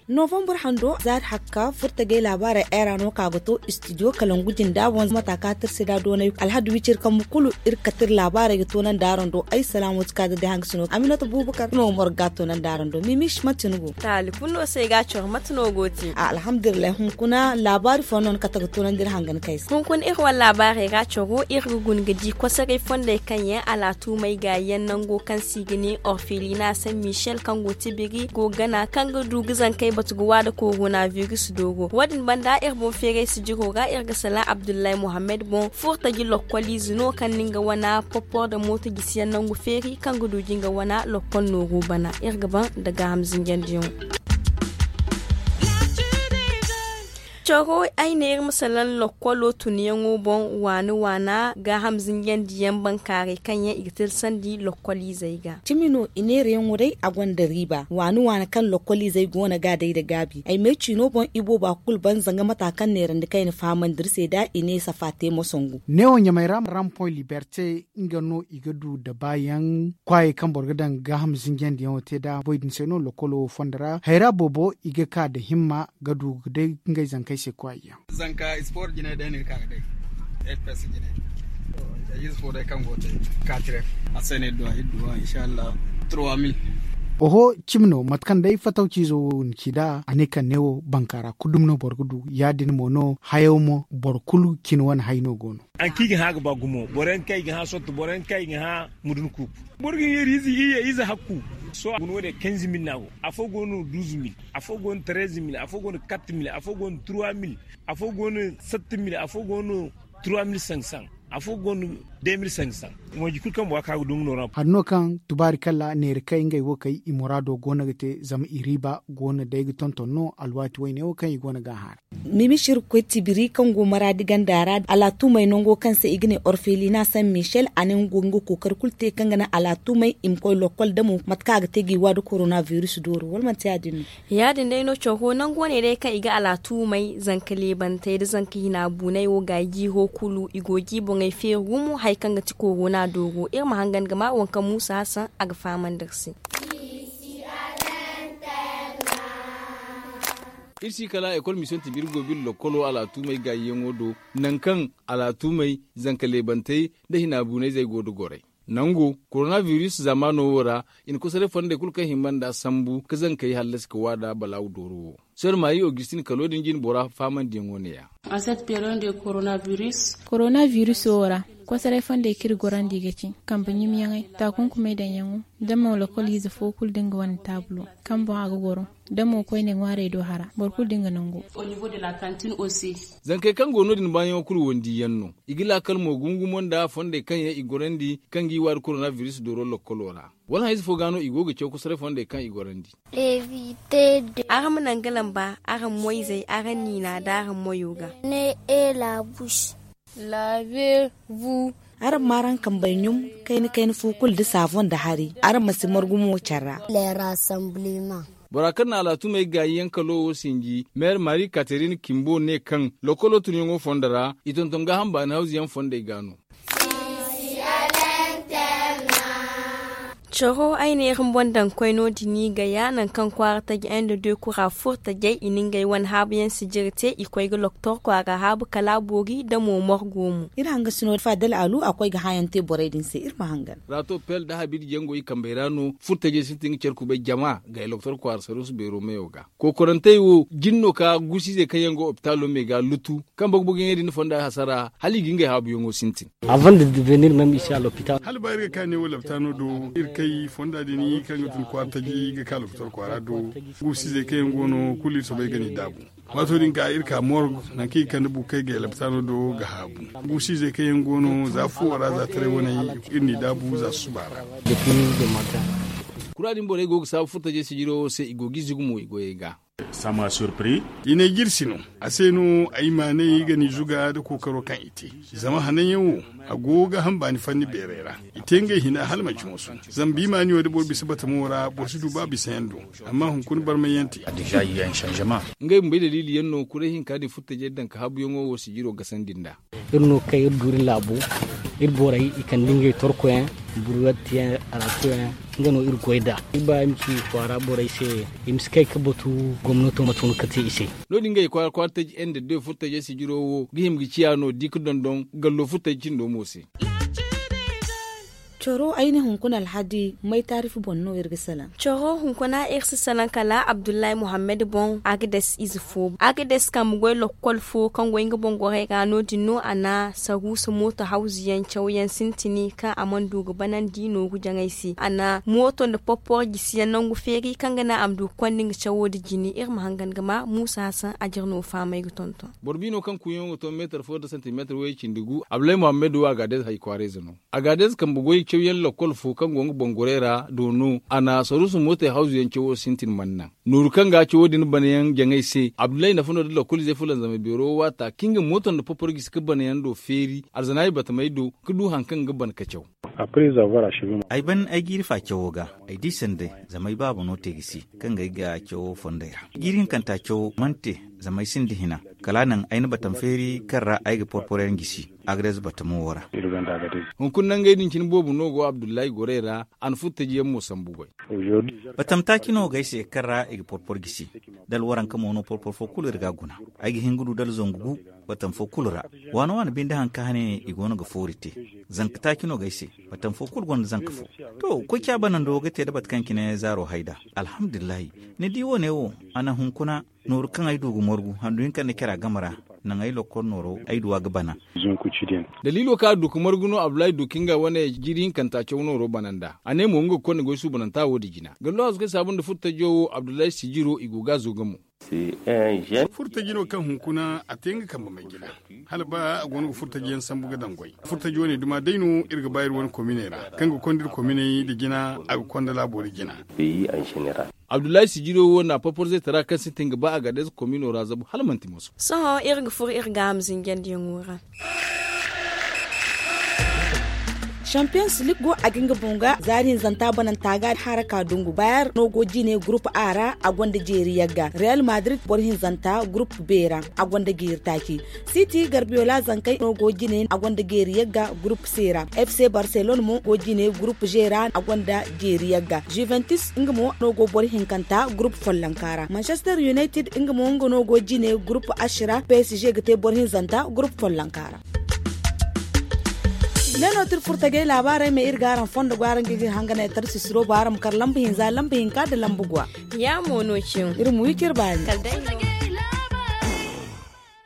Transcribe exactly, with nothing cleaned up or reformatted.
Novembre hando zaari hakka furtagay laabaarey era no ka ga to studio kalangu jinda boŋ mata ka tirsi da doonay alhadu wicir kambu kulu. Iri ga kati iri laabaarey ga toonandi araŋ do ay salaamo ti ka ga day hangasino aminata buubakar no morga toonandi araŋ do mimish mate ni go. Taali kulu no se ga coro mate no go te. Alhamdulillahi hunkuna laabaari fo no ni kate ga toonandi iri hangan kay se. Hunkuna iri wane laabaarey ga coro iri ga guna ga di kosoray fondey kaŋ yaŋ alaatumey ga yaŋ nango kaŋ se i ga ne orfelina san michel kaŋ go tibiri go gana kaŋ ga du ga zankey batu ga waada korona virus dooro wo- din banda iri boŋ feeray sijiro ga iri ga salaŋ abdullahi mohammed boŋ furtaji lokkoliize no kaŋ na nga wana popor nda mooto jisiyaŋ nangu feeri kaŋ ga du ga nga wana lokkol nooru bana. Iri ga ban nda gaaham zinjandiyaŋo. Coro ay ne iri ma salaŋ lokkolo tunyaŋo boŋ waani waana gaaham zinjandiyaŋ bankaaray kaŋ yaŋ i ga tilasandi lokkoliizey ga. Cimi no i neerayaŋo day a gonda riiba waani waana kaŋ lokkoliizey go no ga a day nda gaabi ay may ciino boŋ i booba kulu ban zanga mata kaŋ neerandi kaŋ i na fahamandi iri se nda i ne safa te moso ngu. Neewo ɲamay ra rampoy liberte nga no i ga du dabaayaŋ kwaayey kaŋ boro ga daŋ gaaham zinjandiyaŋo te nda boy din se no lokkolo wo fondo ra hayra boobo i ga ka nda himma ga du ga day ngey zankey se kwaayey yaŋ. Zanka sport jinay day no iri ka ga day. Fps jinay. Ize fo day kaŋ go te katiref. A se no iri duwa iri duwa inshallah. Trois mille. Oho, cimi no mate kaŋ day fatawciizo wo ni ci nd'a a ne kaŋ neewo bankaara kulu dumi no boro ga du ya- din mo no hayo mo boro kulu cine wane hay no go no. Haŋ kaŋ i ga hã ga ba gumo boro yaŋ kaŋ i ga hã sotto boro yaŋ kaŋ i ga hã mudun kuuku. Boro ga hin iri ize iyye ize hakku. Sohõ a guna wo- din quinze mille no a go. Afo go no douze mille, afo go no treize mille, afo go no quatre mille, afo go no trois mille, afo go no sept mille, afo go no trois mille cinq cents, afo go no deux mille cinq cents. Mooji kulu kaŋ bora ka ga dungu no ra. Hari no kaŋ tubaari kala neera kay ngey wo kay i muraado go no ga te zama i riiba go no day ga tonton no alwaati wayne wo kaŋ i go no ga a hã ra. Mimi sirkoy tibiri kaŋ go maraadi ganda ra alaatumey nango kaŋ se i ga ne orfelina san michel a ne nga go ga nga kookari kulu te kaŋ ga naŋ alaatumey i ma koy lokkol damo mate kaŋ a ga te ga i wa nda korona virus dooro wala manti ya- din no? Ya- din day no coro nango ne day kaŋ i ga alaatumey zanka leebantey nda zanka hina buuney wo ga i jiiro kulu i go ga i boŋey feeri gumo hari kaŋ ga ti korona dooro iri ma hangan ga ma waŋ kaŋ muusa hassan a ga fahamandi iri se. Iri si kala ekol mission tibiri go biri lokkolo alaatumey gaayiyaŋo do, nangu kaŋ alaatumey zanka leebantey nda hina buunayzey go nda goray. Nango korona virus zaamaano wo ra i na kosoray fondey kulu kaŋ himba nd'a sambu ga zankey hallasi ga waada balaawu dooro wo. Sor maari augustin kalo din jine bora faamandiyaŋo ne- ya. Korona viruso wo ra kosoray fondey kaŋ iri gorandi ga ci kambe ɲumyaŋey taakunkumey daŋyaŋo, da mo lokol ize fo kulu da nga wane taabulo kaŋ boŋ a ga goro, da mo koyne ŋwaarey do hara boro kulu da nga nango. Zankey kaŋ go no- din baayaŋo kulu wandiyaŋ no. I ga laakal mo gumo-gumo nda fondey kaŋ yaŋ i gorandi kaŋ ga i waari korona virus dooro lokkolo ra. Wala hayze fo ga no i go ga caw kosoray fondey kaŋ i gorandi. Araŋ ma naŋ ga lamba araŋ moyzey araŋ niina nda araŋ moyo ga. Ne e la bouche. Lavez-vous. Araŋ ma araŋ kambey ɲum kayna kayna fo kulu nda saafoŋ nda hari. Araŋ ma si margu mo care ra. Le rassemblement. Bora kaŋ na alaatumey gaayi yaŋ kalo wo sinji meer marie catherine kimbo ne kaŋ lokolo tunyaŋo fondo ra i tonton gaaham baani hawzu yaŋ fondey ga no. Coro ay neera ni boŋ daŋ koy no- din i ga ya nangu kaŋ kwaara taji inde de kura furo tajey i na ngey wane haabu yaŋ sijiri te i koy ga loktor kwaara haabu kala a boori da mo morgo mo. Iri hangasino faadal alu a koy ga hã yaŋ te borey din se iri ma hangan. Raato pel nda habidi jango i kambey ra no furo tajey sintin ga care kubay jama ga ay loktor kwaara saruusu beero meyo ga. Kookorantey wo jin no ka guusiizey kaŋ yaŋ go opitaalo me ga lutu kaŋ bogo-bogo yaŋey din fonda hasara hala i ga ngey haabuyaŋo sintin. Hala ba iri ga ka neewo laptaano do iri kay fonda din kaŋ ga tun kwaara taji ga ka lokotor kwaara do. Guusiizey kaŋ yaŋ go no kulu iri soobay ga n'i daabu. Waato din ga iri ka morg nangu kaŋ i ga kande bukey ga laptaano do ga haabu. Guusiizey kaŋ yaŋ go no za fuwo ra za taray waney iri n'i daabu za susuba ra. Kura din borey go ga saabu furo tajey sijiro wo se i go g'i zugu mo i goyey ga. Sama surpris. I ne jirsi no. A se no ay ma ne i ga ni zuga da kookaro kaŋ i te. Zama hananyaŋ wo, a go ga hambaani fanni beeray ra. I te ngey hina hala manci moso. Zama biimaani wo da boro bisa batamo ra, boro si du ba bisa yaŋ do. Amma hunkuna barmay yaŋ te. Ngey bumbey daliili yaŋ no kuray hinka din furtajey daŋ ka haabuyaŋo wo sijiro gasandi nd'a. Iri no kaŋ iri du iri laabo, iri borey i kande ngey torkoyaŋ, burwattiyaŋ, araatoyaŋ. Nga no iri goy nd'a. Iri ba iri ma ci kwaara borey se, i ma si kay ga batu gomnato mate no ga te i se. No- din ngey kwaara kwaara taji ende de furtajey sijiro wo ga hima ga ciya no di ga dondon gallo furtaji cindo mo se. Coro ay ne hunkuna alhadi may taarif boŋ no iri ga salaŋ? Coro hunkuna iri si salaŋ kala abdullahi muhammad boŋ, agades ize fo, agades kambe goy lokkol fo kaŋ goy nga boŋ gorey ra no- din no a na saruusa mooto hawzuyaŋ cawyaŋ sintini kaŋ a mana du ga banandi nooru jaŋay se. A na mooto nda porporo gisiyaŋ nangu feeri kaŋ ga naŋ a ma du ga konda nga cawo nda jine. Iri ma hangan ga ma muusa hasan a jire no fahamay ga tonton. Boro biino kaŋ kuuyaŋo ga to meetar fo nda santimeetar way- cindi gu abdullahi muhammad wo agades hay kwaarayze no. Agades kambe goy cawyaŋ lakkol fo kaŋ go nga boŋ gorey ra do no a na saruusu mootey hawzuyaŋ cawo sintin mana naŋ. Nooru kaŋ ga cawo din banayaŋ jaŋay se abdullahi nafa no da lakkol izey fulanzamay beero waata kaŋ nga mooto nda porporo gisi ga banayaŋ do feeri arzanaay batamey do ga du hari kaŋ ga ban ga caw. Ay ban ay jiiri fa cawo ga, ay di sanda zama ay baaba no te gisi kaŋ ga ay ga cawo fondey ra. Jiiri hinkanta cawo mana te zama ay sinda hina. Kala a naŋ ay na batam feeri kaŋ ra ay ga porporo yaŋ gisi. Agades batamo wo ra. Hunkuna nangey din cine boobo no go abdullahi gorey ra. A na furtaji yaŋ mo sambu goy. Batam taaci no go ay se kaŋ ra i ga porporo gisi. Da alwaranka mo no porporo fo kulu iri ga a guna. Ay ga hin ga du da alzangu gu batam fo kulu ra. Waana waana binde hari kaŋ hane i go no ga foori te. Zanka taaci no go ay se. Batam fo kulu gonda zanka fo. To, koy ca banando ga te da bate kaŋ cine zaaro hay nd'a. Alhamdulillahi. Ni di wo- ne wo, a naŋ hunkuna nooru kaŋ ay du ga margu handu hinka nda care a game ra. Naŋ ay lokkol nooro ay du a ga bana. Daliilo kaŋ a du ga margu no abdullahi du ka nga wane jiiri hinkanta caw nooro bana nd'a. A ne mo nga ga konda goy suubananta wo- din jina gallo hazu kaŋ saabu nda furtajo wo abdullahi sijiro i go ga a zo ga mo. Furtaji no kaŋ hunkuna a te nga kambe may jina. Hala ba a go no ga furtaji yaŋ sambu ga daŋ goy furtaji wane duma day no iri ga ba iri wane kominey ra kaŋ ga konda iri kominey nda jina. A ga konda laabo nda jina. Abdullahi sijiro wo na porporo zaytara kaŋ sintin ga ba agades komino ra zabu hala manti moso. Sohõ iri ga furo iri gaaham zinjandiyaŋo ra. Champions league go a ga nga boŋ ga zaari hinzanta bananta ga haraka dungu bayer no go jine groupe a ra. A gonda jeeri yagga real madrid boro hinzanta groupe b ra. A gonda jeeri taaci. Siti garbiola zankey no go jine a gonda jeeri yagga groupe c ra. F C barcelone mo go jine groupe g ra a gonda jeeri yagga juventus nga mo no go boro hinkanta groupe follonka ra manchester united nga mo nga no go jine groupe h ra p s g ga te boro hinzanta groupe follonka ra. Ne no tira furtajey laabaarey ma iri ga araŋ fondo go araŋ ga iri hanganey tara sisiro ba araŋ ma kar lamba hinza lamba hinka nda lamba guwa. Ya mo no cin iri ma wi cire baani.